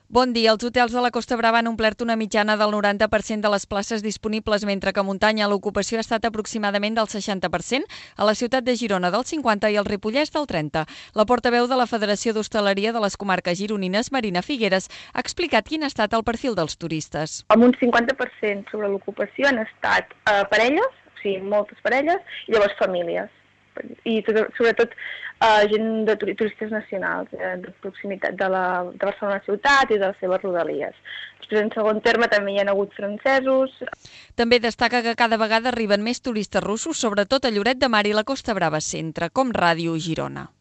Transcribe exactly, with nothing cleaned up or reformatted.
Bon dia. Els hotels de la Costa Brava han omplert una mitjana del noranta per cent de les places disponibles, mentre que a muntanya l'ocupació ha estat aproximadament del seixanta per cent, a la ciutat de Girona del cinquanta per cent i al Ripollès del trenta per cent. La portaveu de la Federació d'Hostaleria de les Comarques Gironines, Marina Figueres, ha explicat quin ha estat el perfil dels turistes. Amb un cinquanta per cent sobre l'ocupació han estat eh, parelles, o sigui, moltes parelles, i llavors famílies. I tot, sobretot eh, gent de turistes nacionals, eh, de proximitat de, la, de Barcelona ciutat i de les seves rodalies. Després, en segon terme, també hi ha hagut francesos. També destaca que cada vegada arriben més turistes russos, sobretot a Lloret de Mar i la Costa Brava Centre, com Ràdio Girona.